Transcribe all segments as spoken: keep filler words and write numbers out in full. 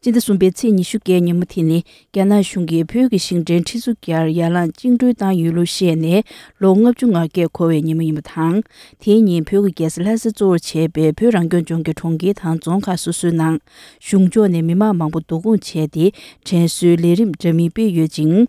སྤྱི་ཟླ་གསུམ་པའི་ཚེས་ཉི་ཤུ་བརྒྱད་ཉིན་མོ་དེ་ནི་རྒྱ་ནག་གཞུང་གིས་བོད་ཀྱི་ཞིང་བྲན་ཁྲི་ཚོ་བརྒྱར་ཡར་ལངས་བཅིངས་འགྲོལ་བཏང་ཡོད་ལུགས་བཤད་ནས་ལོ་ལྔ་བཅུ་ང་བརྒྱད་འཁོར་བའི་ཉིན་མོ་ཡིན་པ་དང་། དེའི་ཉིན་བོད་ཀྱི་རྒྱལ་ས་ལྷ་ས་གཙོ་བོར་བྱས་པའི་བོད་རང་སྐྱོང་ལྗོངས་ཀྱི་གྲོང་ཁྱེར་དང་རྫོང་ཁག་སོ་སོའི་ནང་གཞུང་ཕྱོགས་ནས་མི་མང་མང་པོ་བསྡུ་སྐོང་བྱས་ཏེ་དྲན་གསོའི་ལས་རིམ་འདྲ་མིན་སྤེལ་ཡོད་ཅིང་།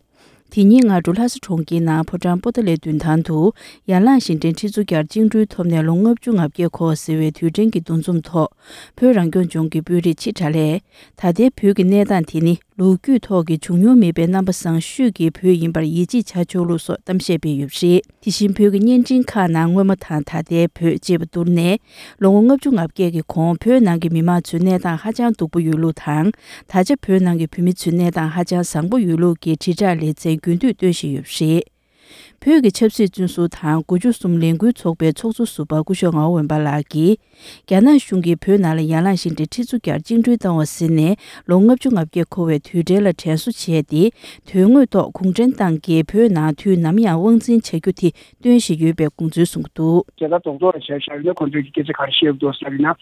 དེ་ཉིན་སྔ་དྲོ་ལྷ་ས་གྲོང་ཁྱེར་ནང་ཕོ་བྲང་པོ་ཏཱ་ལའི་མདུན་ཐང་དུ་ཡར་ལངས་ཞིང་བྲན་ཁྲི་ཚོ་བརྒྱར་བཅིངས་འགྲོལ་ཐོབ་ནས་ལོ་ལྔ་བཅུ་ང་བརྒྱད་འཁོར་བ་ཟེར་བའི་དུས་དྲན་གྱི་འདུ་འཛོམས་ཐོག་བོད་རང་སྐྱོང་ལྗོངས་ཀྱི་དཔོན་རིགས་ཆེ་དགྲ་ལས། ད་ལྟའི་བོད་ཀྱི་གནས་སྟངས་དེ་ནི་ལོ་རྒྱུས་ཐོག་གི་བྱུང་མྱོང་མེད་པའི་རྣམ་པ་བཟང་ཤོས་ཀྱི་བོད་ཡིན་པར་ཡིད་ཆེས་བྱ་ཆོག་ལུགས་སོགས་གཏམ་བཤད་སྤེལ་ཡོད་པ་རེད། དེ་བཞིན་བོད་ཀྱི་བརྙན་འཕྲིན་ཁག་ནང་སྔོན་མ་དང་ད་ལྟའི་བོད་ཅེས་པ་བསྡུར་ནས། ལོ་ངོ་ལྔ་བཅུ་ང་བརྒྱད་ཀྱི་གོང་བོད་ནང་གི་མི་མང་ཚོའི་གནས་སྟངས་ཧ་ཅང་སྡུག་པོ་ཡོད་ལུགས་དང་། ད་ཆ་བོད་ནང་གི་བོད་མི་ཚོའི་གནས་སྟངས་ཧ་ཅང་བཟང་པོ་ཡོད་ལུགས་ཀྱི་དྲིལ་བསྒྲགས་ལེ་ཚན་རྒྱུན་མཐུད་སྟོན་བཞིན་ཡོད་པ་རེད། བོད་ཀྱི་ཆབ་སྲིད་བཙོན་ཟུར་དང་དགུ་བཅུ་གསུམ་ལས་འགུལ་ཚོགས་པའི་ཚོགས་གཙོ་ཟུར་པ་སྐུ་ཞབས་ངག་དབང་འོད་འབར་ལགས་ཀྱིས། རྒྱ་ནག་གཞུང་གིས་བོད་ནང་ལ་ཡར་ལངས་ཤིང་བྲན་ཁྲི་ཚོ་བརྒྱར་བཅིངས་འགྲོལ་བཏང་བ་ཟིན་ནས་ལོ་ལྔ་བཅུ་ང་བརྒྱད་འཁོར་བའི་དུས་དྲན་ལ་དྲན་གསོ་བྱས་ཏེ། དོན་དངོས་ཐོག་གུང་ཁྲན་ཏང་གིས་བོད་ནང་དུས་ནམ་ཡང་དབང་འཛིན་བྱ་རྒྱུ་དེ་སྟོན་བཞིན་ཡོད་པའི་དགོངས་ཚུལ་གསུངས་འདུག་རྒྱལ་དར་རྡོག་རྡོག་ལ་བྱས་བཞག་ཡོད་ན་ཁོང་ཚོས་ཀྱི་སྐད་ཆ་ག་རེ་བཤད་འདུག་ཟེར་ན།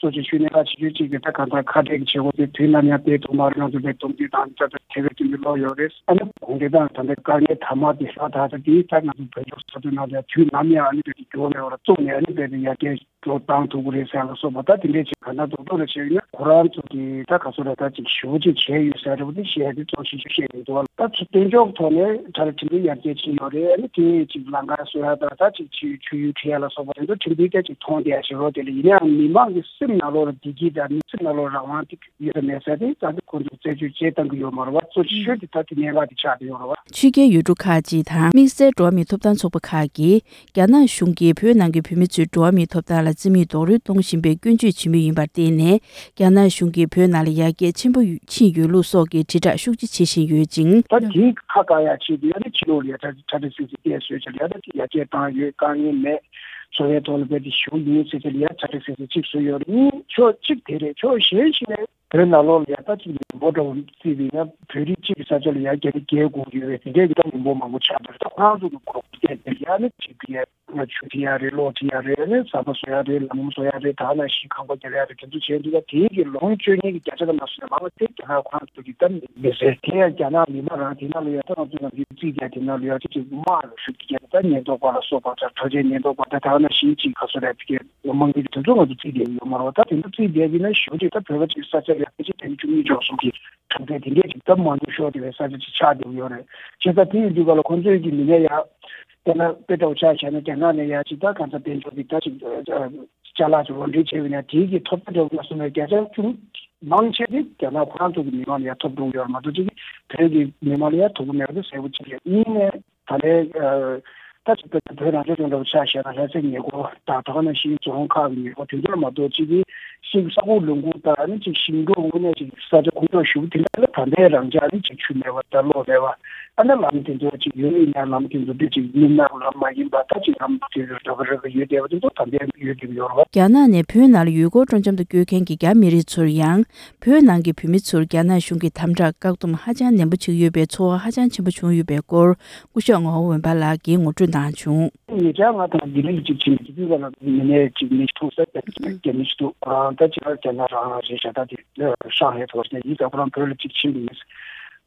གཙོ་ཆེ་ཤོས་གནད་འགག་ཆེ་ཤོས་གཅིག་དེ་ད་གང་ལྟར་ཁ་བྲལ་གྱི་བྱེད་སྒོ་དེ་དུས་ནམ་ཡང་སྤེལ་ཐུབ་མ་རེད། ང་ཚོ་དཔེ་སྡོམ་རྒྱུ་དང་ད་ལྟ་དེ་བས་དེ་འདྲ་ལོག་ཡོད་རེད། ཨ་ནི་གུང་ཁྲན་ཏང་ད་ལྟ་དཀའ་ངལ་དང་མ་དེ་ཧྲ་ད་ད་དེ་ད་ང་ཚོ་བོད་ལྗོངས་ས་མཐོའི་ནང་ལ་དུས་ནམ་ཡང་ཨ་ནི་དཔེ་དེ་མགྱོགས་ནས་བར་བཙུགས་ནས་ཨ་ནི་དཔེ་དེ་ཡར་རྒྱས་འགྲོ་བཏང་ཐུབ་ཀྱི་རེད་ཟེར་ལ་སོགས་པ་ད་དེ་འདྲས་ཅིག་གང་ལྟར་རྡོག་རྡོག་ལ་བྱས་ཡོད་ན་ཁོ་རང་ཚོ་གི་ད་ག་ཚོད་རེད་ད་ཅིག་ཞེ་པོ་ཅིག་བྱས་ཡོད་ཟེར་རེད་པ། དེ་བཤད་དེ་གཙོ་ཆེ་ཤོས་བཤད་ཡོད་འདུག་ད་ཚོ་སྟོན་ཕྱོགས་ཐོག་ནས་ད་ལྟ་ཁྲིམས་འགལ་ཡར་རྒྱས་ཕྱིན་ཡོད་རེད། ཨ་ནི་དེ་ཅིག་ལམ་ཁ་བཟོ་ཡ་དང་ད་ཅིག་ཆུ་ཆུ་ཡུར་ཁྲིད་ཡ་ལ་སོགས་པ་དེ་ཚོ་ཁྲིམས་འགལ་སྐད་ཅིག་མཐོང་བསྡད་ཡ་ཞིག་རོ། དེ་ལ་ཡིན་ནའང་མི་མང་གི་སེམས་ནང་ལོགས་ལ་བདེ་སྐྱིད་དང་མི་སེམས་ནང་ལོགས་རང་དབང་དེ་ཡོད་མེད་ཟེར་དེ་ད་ལྟ་ཁོང་ཚོས་རྩད་གཅོད་བྱེད་བཏང་གི་ཡོད་མ་རེད་བ། གཙོ་ཆེ་ཤོས་དེ་ད་དེ་གནད་འགག་དེ་ཆགས་བསྡད་ཡོད་རེད་བ། ཕྱི་རྒྱལ་ཡུལ་གྲུ་ཁག་ཅིག་དང་དམིགས་བསལ་འགྲོ་བ་མིའི་ཐོབ་ཐང་ཚོགས་པ་ཁག་གིས་རྒྱ་ནག་གཞུང་གིས་བོད་ནང་གི་བོད་མི་ཚོའི་འགྲོ་བ་མིའི་ཐོབ་ཐང་ལ་བརྩི་མེད་རྡོག་རོལ་གཏོང་བཞིན་པའི་སྐྱོན་བརྗོད་བྱེད་མུས་ཡིན་པར་བརྟེན་ནས། རྒྱ་ནག་གཞུང་གིས་བོད་ནང་ལ་ཡར་རྒྱས་ཆེན་པོ་ཕྱིན་ཡོད་ལུགས་སོགས་ཀྱི་དྲིལ་བསྒྲགས་ཤུགས་ཆེ་བྱེད་བཞིན་ཡོད་ཅིང་། ད་དེའི་ཁ་བཀག་ཡ་ཆེད་དུ་ཡ་ནི་ཕྱི་ལོགས་ལ་ཡ་ཁྲ་ཁྲ་ཁྲ་སིང་སིང་བལྟས་བཟོས་བྱས་ལ་ཡ་ད་དེ་ཡར་རྒྱས་བཏང་ཡོད། དཀའ་ངལ་མེད་བཟོ་བའི་ཐོག་ལ་རྦད་དེ་ཞུགས་ཡིན་ཟེར་བྱས་ལ་ཡ་ཁྲ་ཁྲ་སིང་སིང་གཅིག་བཟོས་ཡོད་རེད། གཉིས་ཕྱོགས་གཅིག་དེ་རེད། ཕྱོགས་གཞན་ཞིག་ནས། བོད་ནང་ལོགས་ལ་ཡ་ད་ཅིག་མི་འབོར་འདྲ་བོ་བརྩིས་པ་ཡིན་ན་བོད་རིགས་གཅིག་གི་ས་ཆ་ལ་ཡ་རྒྱ་རིགས་བརྒྱད་དགུ་ཡོད་རེད། དེ་འདྲའི་གི་ད་མི་འབོར་མང་པོ་ཆགས་བསྡད་རེད། ད་ཁོ་རང་ཚོ་གི་གོ་སྐབས་སྟེར་ཏེ་ཡ་ནི་ཅིག་གི་ཡ་ཆུ་ཁྲིད་ཡ་རེད། གློག་ཁྲིད་ཡ་རེད། ཨ་ནི་ཟམ་པ་བཟོ་ཡ་རེད། ལམ་བཟོ་ཡ་རེད། ད་ནང་བཞིན་ཁང་པ་རྒྱག་ཡ་རེད། དེ་ཚོ་བྱས་འདུག་ད་དེའི་གི་ལོངས་སྤྱོད་མཁན་གྱི་བརྒྱ་ཆ་ལ་མ་སོན་ན་མང་བ་དེ་རྒྱ་ནག་ཁོ་རང་ཚོ་གི་ད་མི་ཟེར། དེ་ཡང་རྒྱ་ནག་མི་མང་རང་དེ་ནང་ལ་ཡ་ད་ང་ཚོ་ནང་གི་རྩིས་རྒྱག་དེ་ནང་ལ་ཡ་ཅིག་ཅིག་དམག་ལ་ཞུགས་ཀྱི་རྒྱ་ད་ཉེན་རྟོག་པ་ལ་སོགས་པ་ད་གྲགས་ཅན་ཉེན་རྟོག་པ་ད་ད་ནང་བཞིན་ཅིག་ག་ཚོད་རེད་དེ་གི་དམངས་ཀྱི་དེ་ཚོ་ང་ཚོ་རྩིས་བསྡད་ཡོད་མ་རེད་བ། ད་དེ་ཚོ་རྩིས་བསྡད་ཀྱི་ན་ཞེ་པོ་ཅིག་ད་བོད་པ་ཅིག་ས་ཆ་ལ་ཕལ་ཆེར་དེ་ནི་བཅུ་གཉིས་བཅུ་གསུམ་གྱི་གྲངས་ཚད་དེ་འདྲས་ཅིག་ད་མང་ཉུང་ཤོར་བསྡད་པའི་ས་ཆ་ཅིག་ཆགས་བསྡད་ཡོད་རེད། བྱས་ཙང་དེ་ཡིན་དུས་ག་ལ་ཁོང་ཚོས་ཀྱི་མི་སྣ་ཡ་དཔེར་ན་དཔེ་འདྲ་བོ་ཆ་བཞག་ན་རྒྱ་ནག་ནས་ཡ་ཅིག་ད་གང་ལྟར་དཔལ་འབྱོར་གྱི་ད་ཅིག་ཅ་ལག་ཅིག་ལོ་འདྲེན་བྱས་པ་ཡིན་ན་དེའི་གི་ཐོབ་ཐང་འདྲ་བོ་ལ་སོང་ན་བརྒྱ་ཆ་ཅུང་མང་ཆེ་དེ་རྒྱ་ནག་ཁོ་རང་ཚོ་གི་མི་མང་ལ་ཡ་ཐོབ་འགྲོ་གི་ཡོད་རེད་མ་གཏོགས་ཅིག་བོད་ཀྱི་མི་མང་ལ་ཡ་ཐོབ་ཀྱི་མེད་པ་དེ་གསལ་པོ་ཅིག་རེད། གཉིས་ནས། ད་ལྟའི་ད་ཅིག་བོད་རང་སྐྱོང་ལྗོངས་འདྲ་བོ་ཆ་བཞག་ན་ལྷ་སའི་ཉེ་འཁོར་དང་ད་ག་ནང་བཞིན་རྫོང་ཁག་གི་ཉེ་འཁོར་དེ་ཚོ་ལ་མ་གཏོགས་ཅིག་གིས་ཤིང་ས་ཁུག་ལུང་ཁུག་དང་ཨ་ནི་ཅིག་ཞིང་འབྲོག་དངོས་གནས་ཅིག་ས་ཆ་ཁུག་ཀྱོག་ཞེ་པོ་དེ་འདྲ་ལ་ད་ལྟའི་རང་འཇགས་ཨ་ནི་ཅིག་ཆུ་མེད་པ་དང་གློག་མེད་པ། ཨ་ནི་ལམ་དེ་ཚོ་ཅིག་ཡོད་ཡིན་ན་ལམ་དེ་ཚོ་དེ་ཅིག་མི་ནག་ལམ་མ་ཡིན་པ་ད་ཅིག་ལམ་དེ་ཚོ་ར་བ་ར་བ་ཡོད་བསྡད་པ་དེ་ཚོ་ད་ལྟའི་ཡོད་བསྡད་ཀྱི་ཡོད་རེད་བ། རྒྱ་ནག་ནས་བོད་ནང་ལ་ཡུལ་སྐོར་སྤྲོ་འཆམ་དུ་བསྐྱོད་མཁན་གྱི་རྒྱ་མི་རིགས་ཚོར་ཡང་། བོད་ནང་གི་བོད་མི་ཚོར་རྒྱ་ནག་གཞུང་གི་དམ་དྲག་བཀག་སྡོམ་ཧ་ཅང་ནན་པོ་བྱེད་ཀྱི་ཡོད་པའི་ཚོར་བ་ཧ་ཅང་ཆེན་པོ་བྱུང་ཡོད་པའི་སྐོར་སྐུ་ཞབས་ངག་དབང་འོད་འབར་ལགས་ཀྱིས་ངོ་སྤྲོད་གནང་བྱུང་། ཉེ་ཆར་ང་དང་ལྡི་ལི་ལ་ཅིག་ཕྱིན་ནས་ལྡི་ལི་ལ་མི་སྣ་ཅིག་མི་ཞིག་ཐུག་ས་རྒྱ་མི་ཞིག་འདུག་ཨ་ད་ཅིག་རྒྱ་ནག་རང་རེད་ཤག་ད་དེ་ཧྲང་ཧའེ་ཐོག་ནས་ཡིན་ཙང་ཁོ་རང་བོད་ལ་ཅིག་ཕྱིན་པ་ཡིན།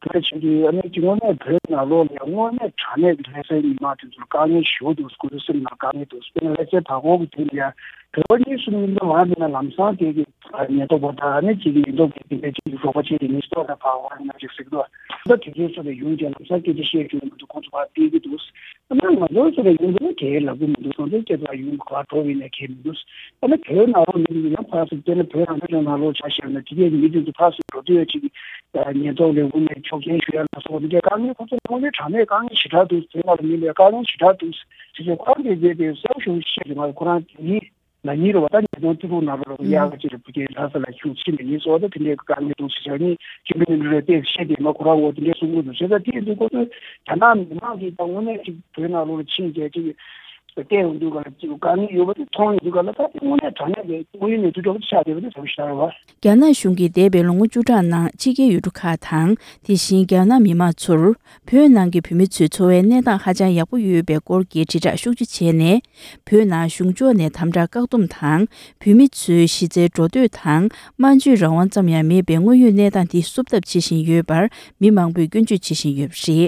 བོད་ཕྱིན་དུས་ཨ་ནི་ཅིག་དངོས་གནས་བོད་ནང་ལོགས་ལ་དངོས་གནས་དྲང་གནས་ཀྱི་ལྷ་སའི་མི་མང་དེ་ཚོར་དཀའ་ངལ་ཞེ་པོ་འདུག་ཁོ་ཚོའི་སེམས་ནང་དཀའ་ངལ་འདུག་དཔེར་ན་ལྷ་སའི་བར་སྐོར་གྱི་དུས་ལ་ཡ་བོད་པ་གཉིས་གསུམ་ཡིན་ན་མ་ཡིན་ན་ལམ་སང་དེ་གི་ཉེན་རྟོག་པ་དང་ཨ་ནི་ཅིག་ཉེན་རྟོག་པའི་དེ་འདྲའི་ཅིག་རོགས་པ་བྱས་ཏེ་ནི་སྟོད་ལ་ཕར་འོང་ན་ཅིག་ཟེར་གི་འདུག་ད་དེ་ཚོའི་སོ་ལ་ཡོང་རྗེས་ལམ་སང་སྐད་ཆ་བཤད་རྒྱུ་མི་འདུག་ཁོང་ཚོ་ཕར་སྤེལ་གི་འདུག་ཨ་ནི་ང་ཚོའི་སོ་ལ་ཡོང་དུས་ན་གལ་ལབ་གི་མི་འདུག་སོང་ཙང་སྐད་ཆ་ཡོང་གི་ག་བ་འགྲོ་བ་ཡིན་ན་གལ་མི་འདུག་ཨ་ནི་བོད་ནང་ལོགས་མི་འདུག་ཡང་ཕར་ཚུར་དཔེར་ན་བོད་རང་སྐྱོང་ལྗོངས་ནང་ལོགས་ཆ་བཞག་ན་དེ་གའི་མི་དེ་ཚོ་ཕར་ཚུར་འགྲོ་དུས་ཅིག་ཉེན་རྟོག་ལས་ཁུངས་ནས་ཆོག་མཆན་ཞུ་ཡ་ལ་སོགས་འདི་འདྲའི་དཀའ་ངལ་ཁོང་ཚོ་དངོས་གནས་དྲང་གནས་དཀའ་ངལ་ཞེ་དྲག་འདུག་བོད་ནང་ལ་མི་འདུག་དཀའ་ངལ་ཞེ་དྲག་འདུག་ཟེར་ཚེ་ཁོ་རང་གིས་བྱས་ཏེ་གསལ་པོ་ཞེ་པོ་བཤད་ཀྱི་མ་རེད། ཁོ་རང་དེ་ཉིད་ན་ཉིན་རེ་བ་ད་ཉིས་སྟོང་བཅུ་དྲུག་ནང་ལོགས་ལ་ཨུ་དབྱར་ཁ་ཅིག་ལ་བུ་སྐྱེས་ལྷ་ས་ལ་ཁྱུག་ཕྱིན་པ་ཡིན་སོགས་ད་དེ་འདྲའི་དཀའ་ངལ་འདུག་ཟེར་བྱས་ནས་སྤྱི་འཐུས་མི་འདྲ་རེ་ཏོག་ཙམ་བཤད་དེ་མ་ཁོ་རང་འོ་དེ་འདྲའི་གསུང་གི་འདུག་བྱས་ཙང་དེ་ཡིན་དུས་ཁོ་ཚོས་རྒྱ་ནག་མི་མང་གིས་ད་དངོས་གནས་ཅིག་བོད་ནང་ལོགས་ལ་ཕྱིན་བྱས་ཅིག་ བལྟས་ཡོང་དུས་ག་ལ་གཅིག་དཀའ་ངལ་ཡོད་པ་དེ་མཐོང་ཡོང་དུས་ག་ལ་ད་དེ་དངོས་གནས་དྲང་གནས་ཀྱི་དངོས་ཡོད་གནས་ཚུལ་འདྲ་པོ་ཆགས་བསྡད་པ་དེ་ཚོ་ཤར་བ། རྒྱ་ནག་གཞུང་གིས་འདས་པའི་ལོ་ངོ་བཅུ་ཕྲག་ནང་ཕྱི་རྒྱལ་ཡུལ་གྲུ་ཁག་དང་དེ་བཞིན་རྒྱ་ནག་མི་མང་ཚོར་བོད་ནང་གི་བོད་མི་ཚོའི་འཚོ་བའི་གནས་སྟངས་ཧ་ཅང་ཡག་པོ་ཡོད་པའི་སྐོར་གྱི་དྲིལ་བསྒྲགས་ཤུགས་ཆེ་བྱས་ནས། བོད་ནང་གཞུང་ཕྱོགས་ནས་དམ་དྲག་བཀག་སྡོམ་དང་བོད་མི་ཚོའི་གཞི་རྩའི་འགྲོ་སྡོད་དང་སྨྲ་བརྗོད་རང་དབང་ཙམ་ཡང་མེད་པའི་དངོས་ཡོད་གནས་སྟངས་འདི་བསུབ་ཐབས་བྱེད་བཞིན་ཡོད་པར་མི་མང་པོས་སྐྱོན་བརྗོད་བྱེད་བཞིན་ཡོད་པ་རེད།